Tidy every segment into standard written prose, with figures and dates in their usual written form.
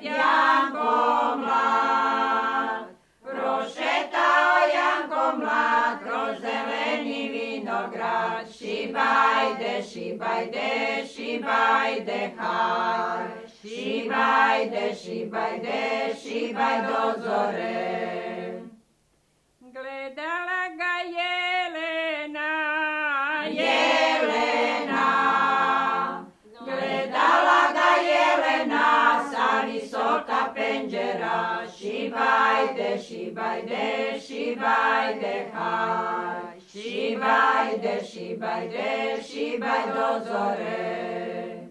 Janko mlad. Prošetao Janko mlad kroz zeleni vinograd. Šibajde, šibajde, šibajde, haj. Šibajde, šibajde, šibaj do zore. Gledala ga Jelena, Jelena, gledala ga Jelena sa visoka penđera. Šibajde, šibajde, šibajde, haj. Šibajde, šibajde, šibaj do zore.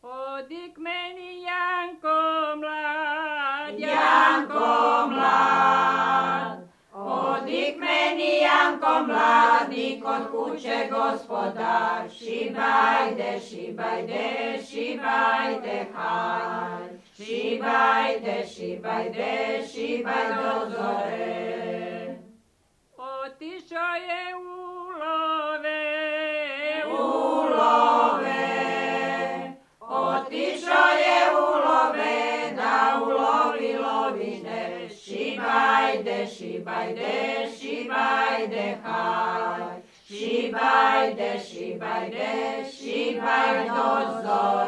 odi k meni Janko mlad, Janko mlad, odi k meni Janko mlad, i kod kuće gospodar. Šibajde, šibajde, šibajde, haj. Šibajde, šibajde, šibaj do zore. otišao je u love, U love, otišao je u love, da ulovi lovine. Šibajde, šibajde, šibajde, haj. Šibajde, šibajde, šibaj do zore.